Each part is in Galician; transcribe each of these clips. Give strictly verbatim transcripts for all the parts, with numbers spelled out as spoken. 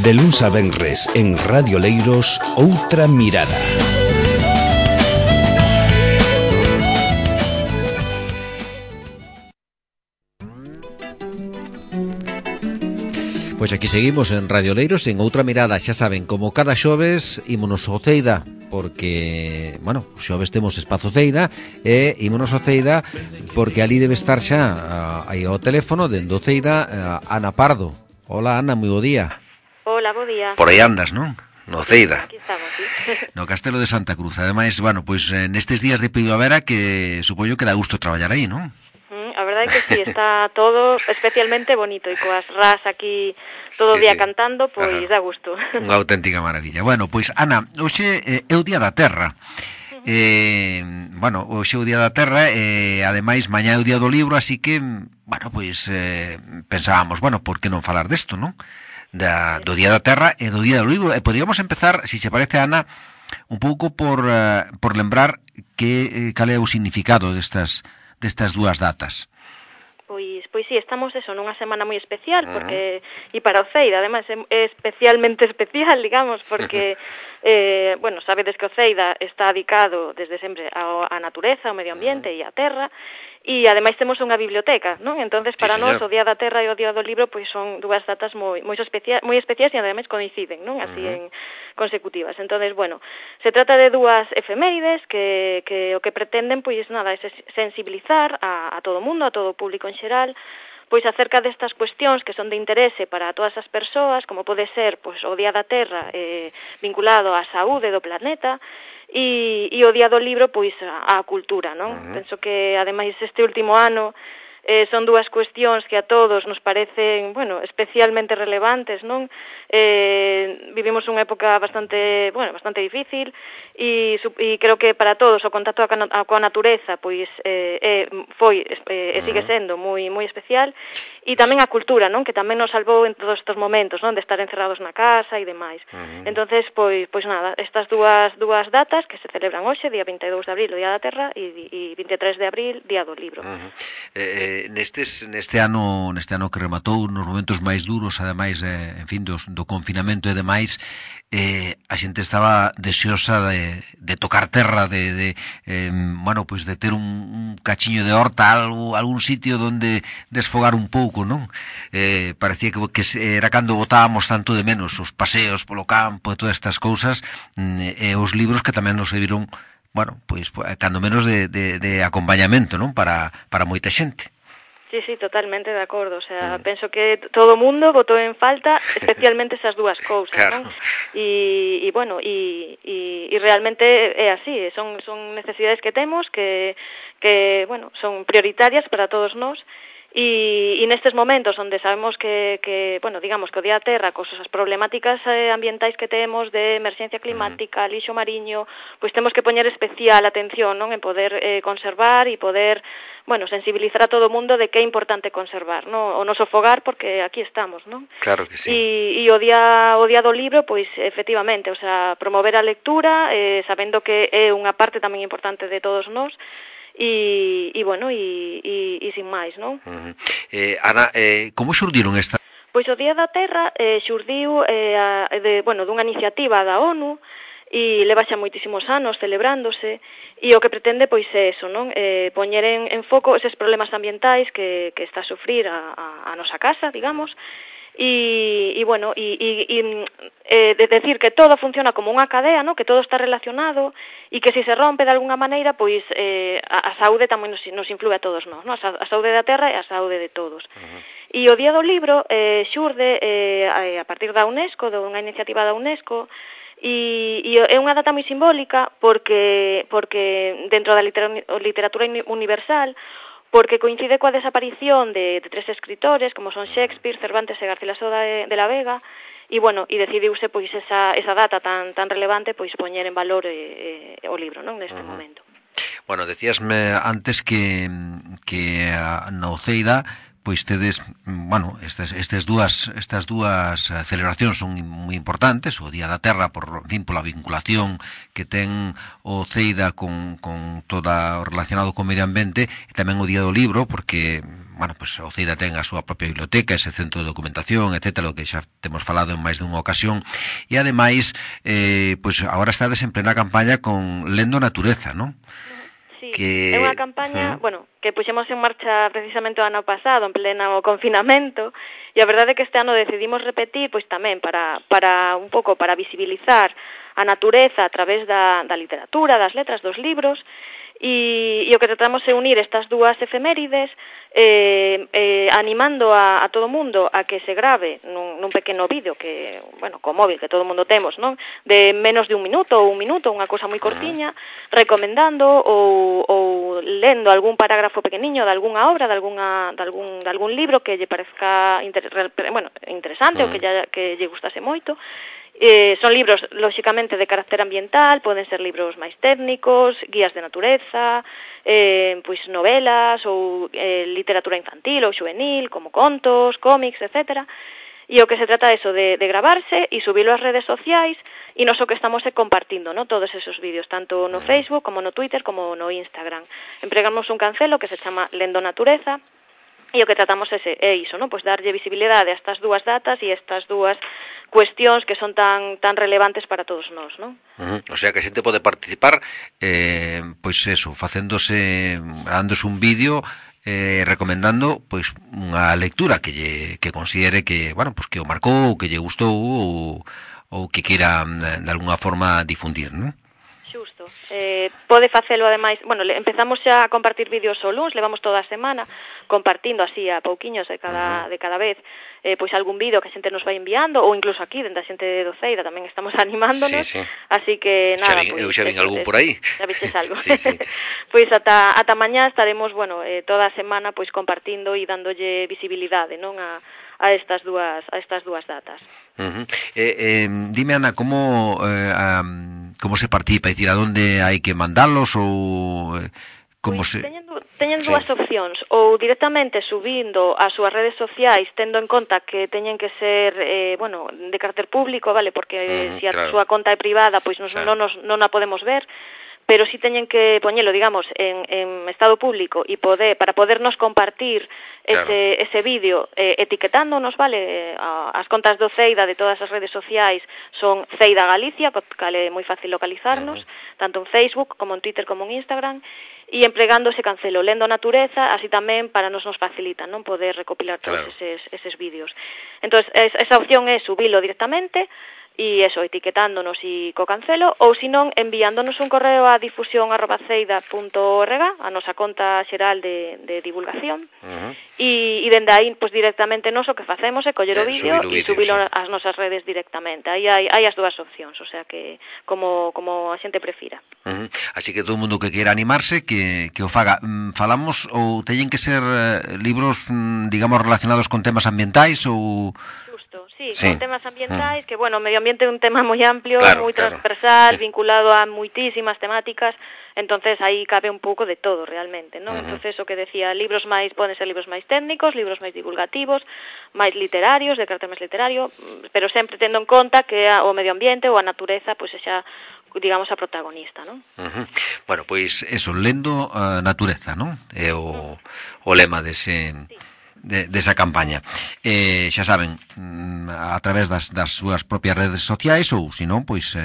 De luns a venres en Radio Leiros, Outra Mirada. Pois aquí seguimos en Radio Leiros en Outra Mirada, xa saben, como cada xoves ímonos ao Ceida, porque, bueno, xoves temos espazo Ceida e ímonos ao Ceida porque ali debe estar xa aí ao teléfono dende o Ceida Ana Pardo. Hola Ana, moi bo día. Hola, bo día. Por aí andas, non? No Ceida. Aquí estamos, sí. No Castelo de Santa Cruz. Ademais, bueno, pois nestes días de primavera que supoño que dá gusto traballar aí, non? A verdade é que sí, está todo especialmente bonito e coas ras aquí todo o sí, día sí. cantando, pois Ajá. dá gusto. Unha auténtica maravilla. Bueno, pois Ana, hoxe eh, é o Día da Terra. Eh, bueno, hoxe é o Día da Terra e eh, ademais mañá é o Día do Libro, así que, bueno, pois eh, pensábamos, bueno, por que non falar desto, non? Da, do Día da Terra e do Día do Libro. E poderíamos empezar, se si che parece, Ana, un pouco por, uh, por lembrar que, eh, cal é o significado destas destas dúas datas. Pois, pois sí, estamos eso, nunha semana moi especial, porque, uh-huh. e para o Ceida, ademais, é especialmente especial, digamos, porque, eh, bueno, sabedes que o Ceida está dedicado desde sempre á, á natureza, ao medio ambiente uh-huh. e á terra, e ademais temos unha biblioteca, non? Entonces, para sí, nós, o Día da Terra e o Día do Libro, pois son dúas datas moi moi, especia, moi especiais e ademais coinciden, non? Así uh-huh. en consecutivas. Entonces, bueno, se trata de dúas efemérides que, que o que pretenden, pois nada, é sensibilizar a, a todo o mundo, a todo o público en xeral, pois acerca destas cuestións que son de interese para todas as persoas, como pode ser pois o Día da Terra eh, vinculado á saúde do planeta, e, e o Día do Libro, pois, á cultura, non? Uh-huh. Penso que, ademais, este último ano eh, son dúas cuestións que a todos nos parecen, bueno, especialmente relevantes, non? Eh, vivimos unha época bastante, bueno, bastante difícil e, e creo que para todos o contacto coa natureza, pois, eh, eh, foi eh, e sigue sendo moi moi especial, e tamén a cultura, non? Que tamén nos salvou en todos estes momentos, non? De estar encerrados na casa e demais. Uh-huh. Entonces, pois, pois nada, estas dúas dúas datas que se celebran hoxe, día vinte e dous de abril, o Día da Terra, e, e vinte e tres de abril, Día do Libro. Uh-huh. Eh, nestes neste ano, neste ano que rematou, nos momentos máis duros, ademais, eh, en fin, dos, do confinamento e demais, eh, a xente estaba deseosa de, de tocar terra, de, de eh, bueno, pois de ter un, un cachiño de horta, algo, algún sitio donde desfogar un pouco, non? Eh, parecía que, que era cando botábamos tanto de menos os paseos polo campo e todas estas cousas, e os libros que tamén nos serviron, bueno, pois cando menos de, de, de acompañamento, non? Para, para moita xente. Sí, sí, totalmente de acordo, o sea, mm. penso que todo o mundo botou en falta especialmente esas dúas cousas, claro. Non? E, e bueno, e, e, e realmente é así, son, son necesidades que temos que, que, bueno, son prioritarias para todos nós. E, e nestes momentos onde sabemos que, que, bueno, digamos que o Día da Terra, cos as problemáticas eh, ambientais que temos de emerxencia climática, lixo mariño, pois temos que poñer especial atención, non? En poder eh, conservar e poder, bueno, sensibilizar a todo o mundo de que é importante conservar, non? O noso fogar, porque aquí estamos, non? Claro que sí. E, e o día o día do libro, pois, efectivamente, o sea, promover a lectura, eh, sabendo que é unha parte tamén importante de todos nós, e, e bueno, e, e, e sin máis, non? Uh-huh. Eh, Ana, eh, como xurdiron esta? Pois o Día da Terra eh, xurdiu eh, a, de, bueno, dunha iniciativa da ONU e leva xa moitísimos anos celebrándose, e o que pretende pois é eso, non? Eh, poñer en, en foco eses problemas ambientais que, que está a sufrir a, a, a nosa casa, digamos, e, e bueno, e, e, e eh, de decir que todo funciona como unha cadea, ¿no? Que todo está relacionado e que se se rompe de alguna maneira, pois eh, a, a saúde tamén nos, nos influe a todos nós, ¿no? A, a saúde da terra e a saúde de todos. Uh-huh. E o Día do Libro eh, xurde eh, a partir da UNESCO, de unha iniciativa da UNESCO, e, e é unha data moi simbólica porque, porque dentro da literatura universal, porque coincide coa desaparición de, de tres escritores, como son Shakespeare, Cervantes e Garcilaso de, de la Vega, e, bueno, e decidiuse, pois, esa, esa data tan, tan relevante, pois, poñer en valor eh, eh, o libro, non, neste uh-huh. momento. Bueno, decíasme antes que, que na Oceida, pois tedes, bueno, estas estas dúas estas dúas celebracións son moi importantes, o Día da Terra por, en fin, pola vinculación que ten o Ceida con con toda o relacionado con o medio ambiente, e tamén o Día do Libro, porque bueno, pues o Ceida ten a súa propia biblioteca, ese centro de documentación, etcétera, o que xa temos falado en máis dunha ocasión, e ademais eh, pues agora estades en plena campaña con Lendo Natureza, non? Sí, que... é unha campaña, uh-huh. bueno, que puxemos en marcha precisamente o ano pasado, en pleno confinamento, e a verdade é que este ano decidimos repetir, pois tamén para para un pouco para visibilizar a natureza a través da, da literatura, das letras, dos libros, e, e o que tratamos é unir estas dúas efemérides, eh, eh, animando a, a todo o mundo a que se grave nun, nun pequeno vídeo que, bueno, co móvil que todo o mundo temos, non? De menos de un minuto ou un minuto, unha cousa moi cortiña, recomendando ou, ou lendo algún parágrafo pequeniño de algunha obra, de algunha de algún de algún libro que lle parezca inter, bueno, interesante uh-huh. ou que lle, que lle gustase moito. Eh, son libros, lóxicamente, de carácter ambiental, poden ser libros máis técnicos, guías de natureza, eh, pois novelas ou eh, literatura infantil ou juvenil, como contos, cómics, etcétera. E o que se trata é eso, de, de gravarse e subirlo ás redes sociais, e nos o que estamos é compartindo, ¿no? Todos esos vídeos, tanto no Facebook, como no Twitter, como no Instagram. Empregamos un cancelo que se chama Lendo Natureza, e o que tratamos é, é iso, ¿no? Pois darlle visibilidade a estas dúas datas e estas dúas cuestións que son tan tan relevantes para todos nós, non? Uh-huh. O sea, que a xente pode participar eh, pois eso, facéndose, dándose un vídeo eh, recomendando pois unha lectura que lle, que considere que, bueno, pois que o marcou, ou que lle gustou ou, ou que queira de alguna forma difundir, non? Xusto. Eh, pode facelo ademais, bueno, empezamos xa a compartir vídeos o luns, levamos toda a semana compartindo así a pouquiños de cada, uh-huh. de cada vez eh, pois algún vídeo que a xente nos vai enviando, ou incluso aquí, dentro a xente de Ceida tamén estamos animándonos, sí, sí. Así que nada, xa vi, pois, eu xa vin algún por aí. Xa viches algo. Sí, sí. Pois ata, ata mañá estaremos, bueno, eh, toda a semana pois compartindo e dándolle visibilidade, non, a, a estas dúas a estas dúas datas. Uh-huh. Eh, eh, dime, Ana, como eh, um, como se participa, é dicir, a onde hai que mandalos ou eh, como pois, se teñen, teñen sí. dúas opcións, ou directamente subindo ás súas redes sociais, tendo en conta que teñen que ser, eh, bueno, de carácter público, vale, porque uh-huh, se a claro. súa conta é privada, pois nos, claro. non, nos, non a podemos ver, pero si teñen que poñelo, digamos, en, en estado público e poder, para podernos compartir claro. ese, ese vídeo eh, etiquetándonos, vale, as contas do Ceida de todas as redes sociais son Ceida Galicia, que é moi fácil localizarnos, uh-huh. tanto en Facebook como en Twitter como en Instagram, e empregando ese cancelo Lendo Natureza, así tamén para nos nos facilita, non, poder recopilar todos claro. eses, eses vídeos. Entón, esa opción é subilo directamente, e eso, etiquetándonos e co cancelo, ou senón enviándonos un correo a difusión arroba ceida punto org, a nosa conta xeral de, de divulgación, uh-huh. e, e dende aí, pois directamente nos o que facemos é coller o vídeo e subilo sí. ás nosas redes directamente. Aí hai, hai as dúas opcións, o sea que como, como a xente prefira. Uh-huh. Así que todo o mundo que queira animarse, que, que o faga. Mm, falamos, ou teñen que ser eh, libros, mm, digamos, relacionados con temas ambientais ou... Sí, sí, con temas ambientais, que, bueno, o medio ambiente é un tema moi amplio, claro, moi claro. transversal, sí. vinculado a moitísimas temáticas, entonces aí cabe un pouco de todo realmente, non? Uh-huh. Entonces, o que decía, libros máis, poden ser libros máis técnicos, libros máis divulgativos, máis literarios, de carácter máis literario, pero sempre tendo en conta que o medio ambiente ou a natureza, pois, xa digamos, a protagonista, non? Uh-huh. Bueno, pois, eso, lendo a uh, natureza, non? É o, uh-huh. o lema dese... Sí. De, desa campaña. Eh, xa saben, a través das, das súas propias redes sociais ou, se non, pois eh,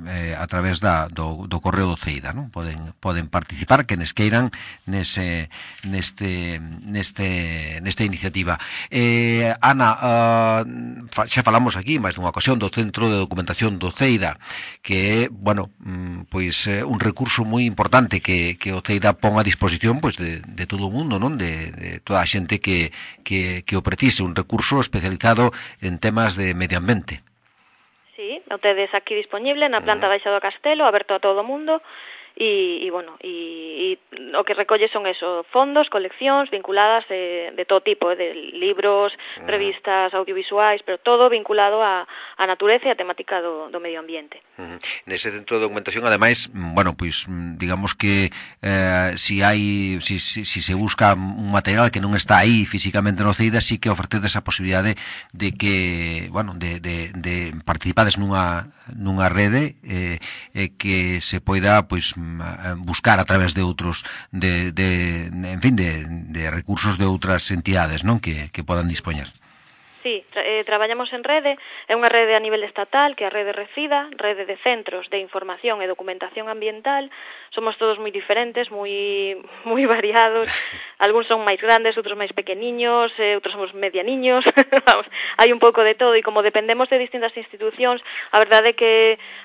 eh, a través da, do, do correo do Ceida, non? Poden, poden participar, que nes queiran nese, neste, neste, nesta iniciativa. Eh, Ana, uh, xa falamos aquí máis dunha ocasión do Centro de Documentación do Ceida, que é, bueno, pois un recurso moi importante que, que o Ceida pon a disposición pois de, de todo o mundo, non? De, de toda a xente que Que, que o precise, un recurso especializado en temas de medio ambiente. Sí, o tedes aquí disponible na planta uh-huh. baixa do castelo, aberto a todo o mundo, e, e bueno, e, e o que recolle son eso, fondos, coleccións vinculadas eh, de todo tipo, de libros, uh-huh. revistas, audiovisuais, pero todo vinculado a, a natureza e a temática do, do medio ambiente. Uh-huh. Nese centro de documentación, ademais, bueno, pois digamos que eh, si hai si, si, si se busca un material que non está aí físicamente no CEIDA, sí que ofrecedes a posibilidade de que, bueno, de, de, de participades nunha nunha rede eh, eh, que se poida pois buscar a través de outros de, de en fin, de, de recursos de outras entidades, non, que, que podan dispoñer. Sí, tra eh, traballamos en rede, é unha rede a nivel estatal, que é a rede Recida, rede de centros de información e documentación ambiental. Somos todos moi diferentes, moi moi variados, algúns son máis grandes, outros máis pequeniños, eh, outros somos medianiños, vamos, hai un pouco de todo, e como dependemos de distintas institucións, a verdade é que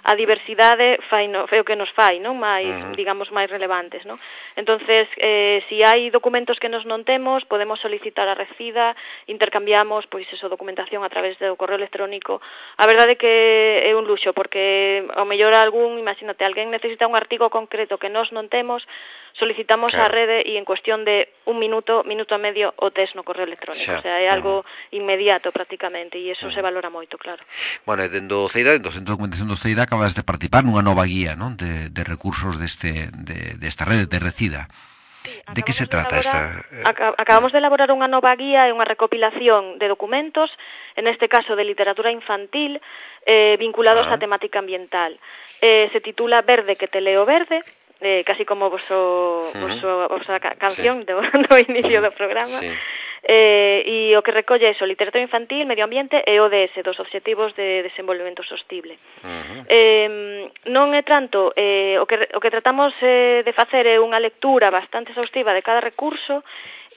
a diversidade fai no, fai o que nos fai, non? Mais, uh-huh. digamos, máis relevantes, non? Entonces, eh, si hai documentos que nos non temos, podemos solicitar a Recida, intercambiamos, pois, eso, documentación a través do correo electrónico. A verdade é que é un luxo, porque ao mellor algún, imagínate, alguén necesita un artigo concreto que nós non temos, solicitamos claro. a rede e en cuestión de un minuto, minuto e medio o tes no correo electrónico. Xa. O sea, é algo uh-huh. inmediato prácticamente, e iso uh-huh. se valora moito, claro. Bueno, e dentro do CEIDA, dentro do Centro de Documentación do CEIDA, acabas de participar nunha nova guía, non, de, de recursos deste, de, desta rede de Recida. Sí, de que se trata esta? Acabamos de elaborar unha nova guía e unha recopilación de documentos, en este caso de literatura infantil, eh, vinculados ah. á temática ambiental. Eh, se titula Verde que te leo verde, eh, casi como voso, uh-huh. voso, vosa canción sí. do, do inicio do programa. Sí. Eh, e o que recolle é literatura infantil, medio ambiente e O D S, dos Obxectivos de Desenvolvemento Sostible. Uh-huh. Eh, non é tanto, eh, o, que, o que tratamos eh, de facer é unha lectura bastante exhaustiva de cada recurso,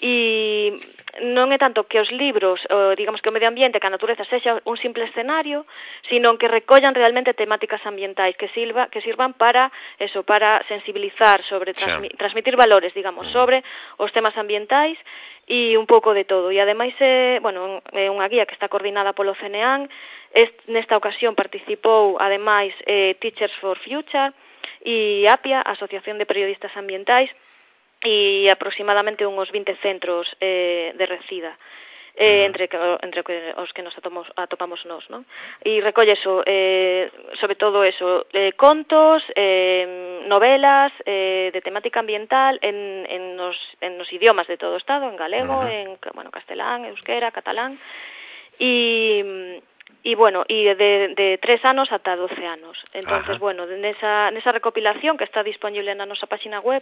e non é tanto que os libros, o, digamos que o medio ambiente, que a natureza sexa un simple escenario, sino que recollan realmente temáticas ambientais que sirva, que sirvan para eso, para sensibilizar sobre transmi, transmitir valores, digamos, sobre os temas ambientais e un pouco de todo. E ademais é, bueno, é unha guía que está coordinada polo CNEAN. Est, nesta ocasión participou ademais eh, Teachers for Future e APIA, Asociación de Periodistas Ambientais, e aproximadamente uns vinte centros eh, de Recida, eh, entre, que, entre os que nos atopamos, atopamos nós, non? E recolle eso, eh, sobre todo eso, eh, contos, eh, novelas eh, de temática ambiental en, en, nos, en nos idiomas de todo o Estado, en galego, uh-huh. en bueno, castelán, euskera, catalán, e... E, bueno, e de, de tres anos ata doce anos. Entonces, Ajá. bueno, nesa, nesa recopilación que está disponible na nosa página web,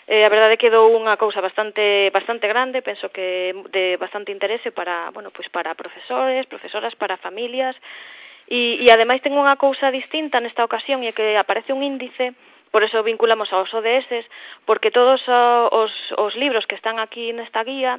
eh, a verdade quedou unha cousa bastante bastante grande, penso que de bastante interese para, bueno, pues para profesores, profesoras, para familias, e, e ademais ten unha cousa distinta nesta ocasión, e que aparece un índice, por eso vinculamos aos O D S, porque todos os, os libros que están aquí nesta guía,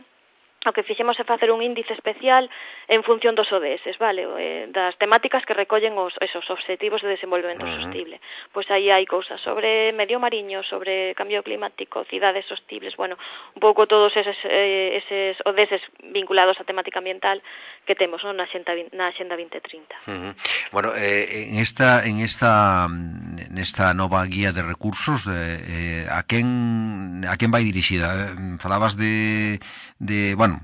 o que fixemos é facer un índice especial en función dos O D S, vale, eh, das temáticas que recollen os esos obxectivos de desenvolvemento uh-huh. sostible. Pois aí hai cousas sobre medio mariño, sobre cambio climático, cidades sostibles, bueno, un pouco todos eses, eh, eses O D S vinculados á temática ambiental que temos, non, na Axenda na Axenda vinte trinta. Uh-huh. Bueno, eh, en esta en esta nesta nova guía de recursos, eh, eh, a quen a quen vai dirixida? Eh, falabas de de, bueno,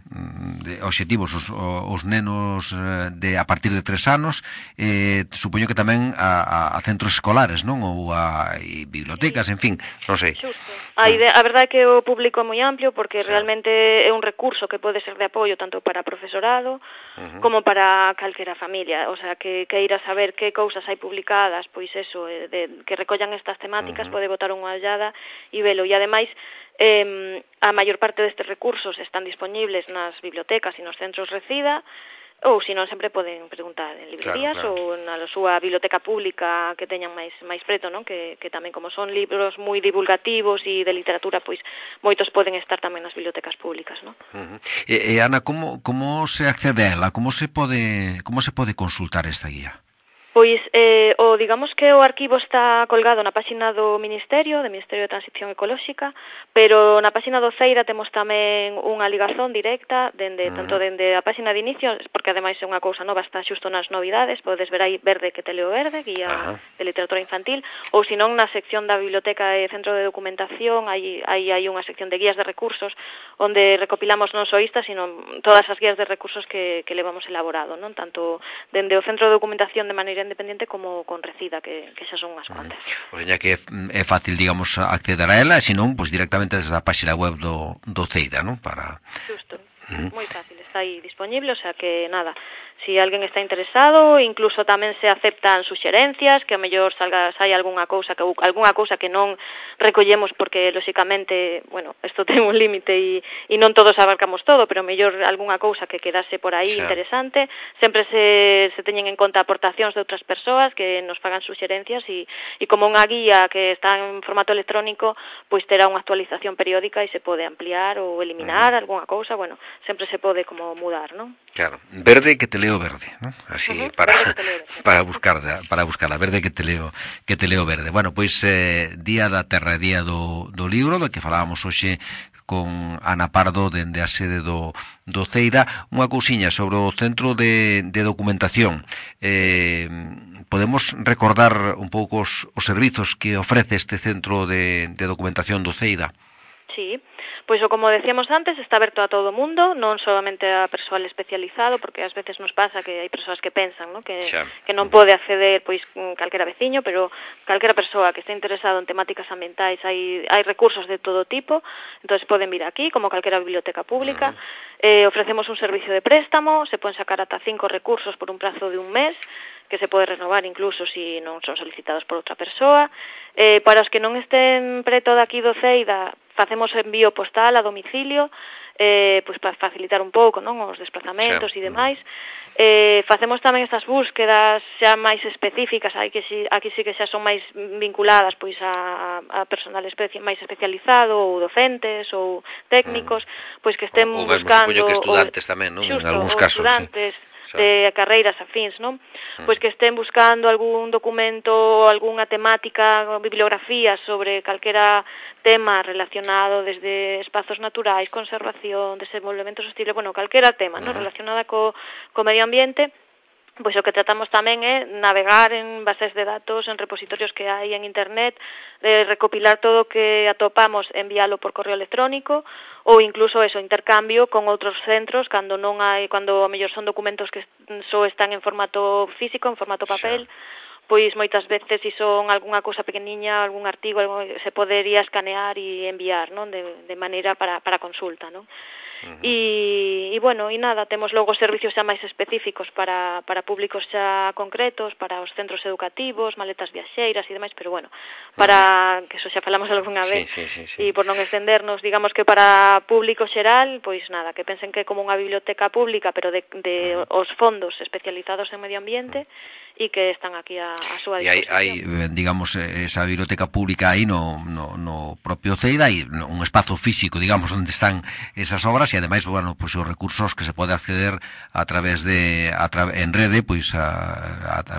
de obxectivos os, os nenos de a partir de tres anos, eh, supoño que tamén a, a centros escolares, non? Ou a e bibliotecas, en fin, non sei. Xusto. A, idea, a verdade é que o público é moi amplio, porque sí. realmente é un recurso que pode ser de apoio tanto para profesorado uh-huh. como para calquera familia, o sea, que queira saber que cousas hai publicadas, pois eso, de, que recollan estas temáticas, uh-huh. pode botar unha ollada e velo. E ademais, Eh, a maior parte destes recursos están disponibles nas bibliotecas e nos centros Recida, ou se non sempre poden preguntar en librerías claro, claro. ou na súa biblioteca pública que teñan máis máis preto, non? Que, que tamén como son libros moi divulgativos e de literatura, pois moitos poden estar tamén nas bibliotecas públicas, non? Uh-huh. E, e Ana, como como se accede a ela? Como se pode como se pode consultar esta guía? Pois eh, o O, digamos que o arquivo está colgado na páxina do Ministerio, do Ministerio de Transición Ecolóxica, pero na páxina do Ceida temos tamén unha ligazón directa, dende, uh-huh. tanto dende a páxina de inicio, porque ademais é unha cousa nova, está xusto nas novidades, podes ver aí Verde que te leo verde, guía uh-huh. de literatura infantil, ou senón na sección da Biblioteca e Centro de Documentación, aí hai, hai unha sección de guías de recursos, onde recopilamos non só esta, sino todas as guías de recursos que, que levamos elaborado, non tanto dende o Centro de Documentación de maneira independiente como con Recida, que, que xa son unhas cuantas. O sea, que é fácil, digamos, acceder a ela, e senón, pois, directamente desde a páxina web do, do Ceida, non? Para... Justo, uh-huh. moi fácil, está aí disponible, o sea que, nada, si alguén está interesado, incluso tamén se aceptan suxerencias, que a mellor salga, sai algunha cousa que algunha cousa que non recollemos porque lóxicamente, bueno, isto ten un límite e, e non todos abarcamos todo, pero mellor algunha cousa que quedase por aí sí. interesante, sempre se, se teñen en conta aportacións de outras persoas que nos fagan suxerencias e, e como unha guía que está en formato electrónico, pois terá unha actualización periódica e se pode ampliar ou eliminar uh-huh. algunha cousa, bueno, sempre se pode como mudar, non? Claro, verde que te leo verde, ¿no? Así uh-huh, para para buscar para buscar a verde que te leo que te leo verde. Bueno, pois eh, día da terra, día do, do libro, do que falábamos hoxe con Ana Pardo dende a sede do, do Ceida. Unha cousiña sobre o centro de, de documentación. Eh, podemos recordar un pouco os, os servizos que ofrece este centro de, de documentación do Ceida? Sí. Pois, como decíamos antes, está aberto a todo o mundo, non solamente a persoal especializado, porque ás veces nos pasa que hai persoas que pensan, ¿no? que, que non pode acceder pois calquera veciño, pero calquera persoa que este interesado en temáticas ambientais, hai, hai recursos de todo tipo, entonces poden vir aquí, como calquera biblioteca pública. Uh-huh. eh, ofrecemos un servicio de préstamo, se poden sacar ata cinco recursos por un prazo de un mes, que se pode renovar incluso se si non son solicitados por outra persoa. Eh, para os que non estén preto daqui do Ceida, facemos envío postal a domicilio, eh, pois para facilitar un pouco, non, os desplazamentos e demais. Eh, facemos tamén estas búsquedas xa máis específicas, hai que si, aquí sí que xa son máis vinculadas pois a, a personal especi máis especializado, ou docentes, ou técnicos, pois que estén o, buscando... O que estudantes ou, tamén, non? Xusto, en algúns casos, estudantes, sí. de carreiras afíns, non? Pois que estén buscando algún documento, algunha temática, bibliografía sobre calquera tema relacionado desde espazos naturais, conservación, desenvolvemento sostible, bueno, calquera tema, non? Relacionada co, co medio ambiente. Pois o que tratamos tamén é navegar en bases de datos, en repositorios que hai en internet, de recopilar todo o que atopamos, enviálo por correo electrónico, ou incluso eso, intercambio con outros centros, cando non hai, cando a mellor son documentos que só están en formato físico, en formato papel, pois moitas veces se son algunha cousa pequeniña, algún artigo, algo, se podería escanear e enviar, non? De, de maneira para, para consulta, non? Uh-huh. E, e, bueno, e nada, temos logo servicios xa máis específicos para, para públicos xa concretos, para os centros educativos, maletas viaxeiras e demais, pero bueno, para, uh-huh. que eso xa falamos algunha vez, sí, sí, sí, sí. E por non extendernos, digamos que para público xeral, pois nada, que pensen que é como unha biblioteca pública, pero de, de uh-huh. os fondos especializados en medio ambiente, e que están aquí a, a súa disposición. E hai, hai, digamos, esa biblioteca pública aí no, no, no propio Ceida, hai un espazo físico, digamos, onde están esas obras, e ademais, bueno, pois os recursos que se pode acceder a través de a tra en rede, pois a, a, a,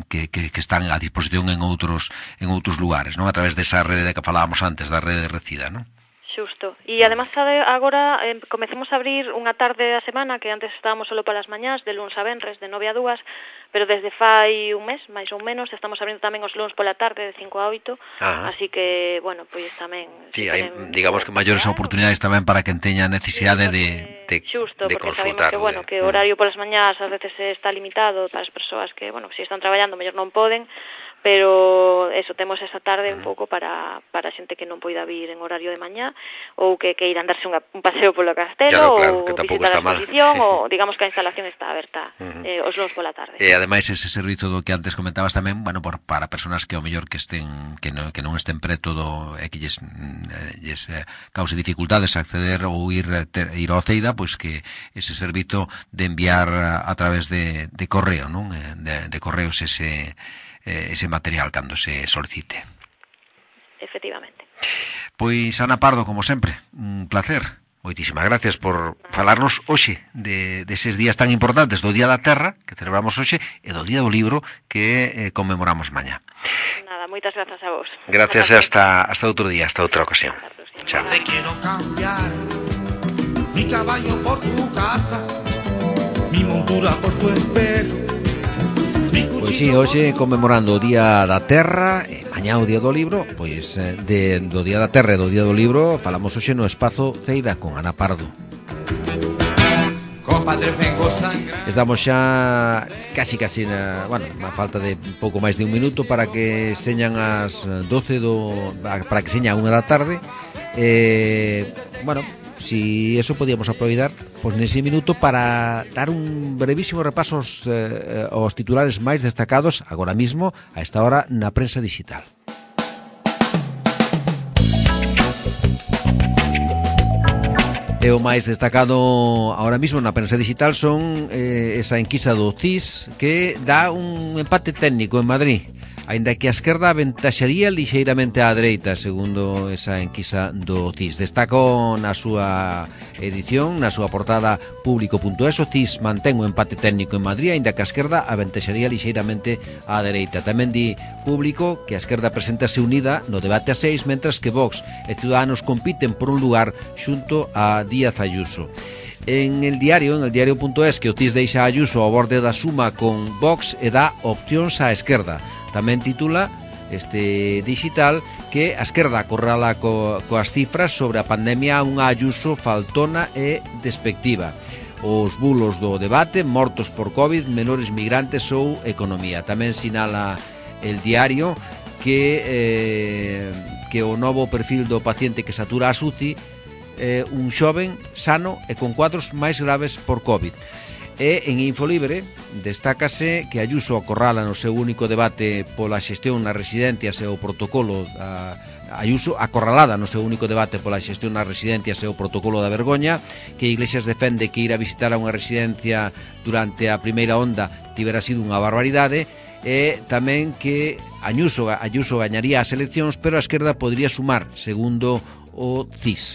que, que, que están a disposición en outros en outros lugares, non? A través desa rede de que falábamos antes, da rede de Recida, non? Xusto. E además agora eh, comecemos a abrir unha tarde a semana, que antes estábamos solo para as mañás, de luns a venres, de nove a dúas, pero desde fai un mes, máis ou menos, estamos abrindo tamén os luns pola tarde, de cinco a oito, ah. así que, bueno, pois tamén... Sí, si hai, digamos que maiores oportunidades tamén para quen teña necesidade de, de, xusto, de porque consultar. Sabemos que, bueno, que o horario polas mañás ás veces está limitado para as persoas que, bueno, se si están traballando, mellor non poden, pero eso, temos esa tarde un pouco para, para a xente que non poida vir en horario de mañá, ou que queiran darse unha, un paseo polo castelo, claro, claro, ou visitar a exposición, ou digamos que a instalación está aberta uh-huh. eh, os luns pola tarde. E ademais ese servizo do que antes comentabas tamén, bueno, por, para persoas que ao mellor que estén que non, que non estén preto do e que lles, lles eh, cause dificultades acceder ou ir ter, ir ao Ceida, pois que ese servizo de enviar a, a través de, de correo, non? De, de correos ese ese material cando se solicite. Efectivamente. Pois, Ana Pardo, como sempre, un placer. moitísimas gracias por falarnos hoxe de deses días tan importantes do Día da Terra, que celebramos hoxe, e do Día do Libro, que eh, conmemoramos mañá. Nada, moitas grazas a vos. Gracias, hasta, hasta outro día, hasta outra ocasión. Chao. Te quiero cambiar mi caballo por tu casa, mi montura por tu espejo. Pois sí, hoxe conmemorando o Día da Terra e mañá o Día do Libro, pois de, do Día da Terra e do Día do Libro falamos hoxe no Espazo Ceida con Ana Pardo. Estamos xa casi casi na, bueno, a falta de pouco máis de un minuto para que señan as doce do para que seña a unha da tarde. Eh, bueno, si eso podíamos aproveitar pois nese minuto para dar un brevísimo repaso aos, eh, aos titulares máis destacados agora mismo a esta hora na prensa digital. E o máis destacado ahora mismo na prensa digital son eh, esa enquisa do C I S que dá un empate técnico en Madrid, aínda que a esquerda aventaxaría lixeiramente á dereita, segundo esa enquisa do C I S. Destaco na súa edición, na súa portada público punto es, o C I S mantén o empate técnico en Madrid, aínda que a esquerda aventaxaría lixeiramente á dereita. Tamén di Público que a esquerda presentase unida no debate a seis, mentras que Vox e Ciudadanos compiten por un lugar xunto a Díaz Ayuso. En el diario, en el diario punto es, que o C I S deixa a Ayuso ao borde da suma con Vox e dá opcións á esquerda. Tamén titula este digital que a esquerda acorrala co, coas cifras sobre a pandemia unha Ayuso faltona e despectiva. Os bulos do debate, mortos por COVID, menores migrantes ou economía. Tamén sinala el diario que, eh, que o novo perfil do paciente que satura a SUCI eh, un xoven sano e con cuadros máis graves por COVID. E en Infolibre destácase que Ayuso acorrala no seu único debate pola xestión nas residencias e o protocolo a, Ayuso acorralada no seu único debate pola xestión nas residencias e o protocolo da vergoña, que Iglesias defende que ir a visitar a unha residencia durante a primeira onda tivera sido unha barbaridade, e tamén que Ayuso, Ayuso gañaría as eleccións, pero a esquerda podría sumar, segundo o C I S.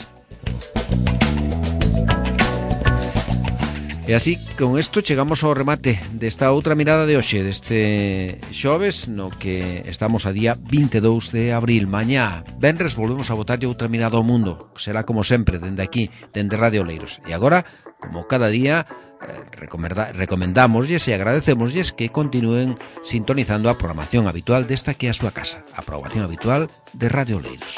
E así, con isto chegamos ao remate desta outra mirada de hoxe, deste xoves, no que estamos a día vinte e dous de abril. Mañá, venres, volvemos a botarlle outra mirada ao mundo. Será como sempre, dende aquí, dende Radio Oleiros. E agora, como cada día, eh, recomendámoslles e agradecémoslles que continúen sintonizando a programación habitual desta que é a súa casa, a programación habitual de Radio Oleiros.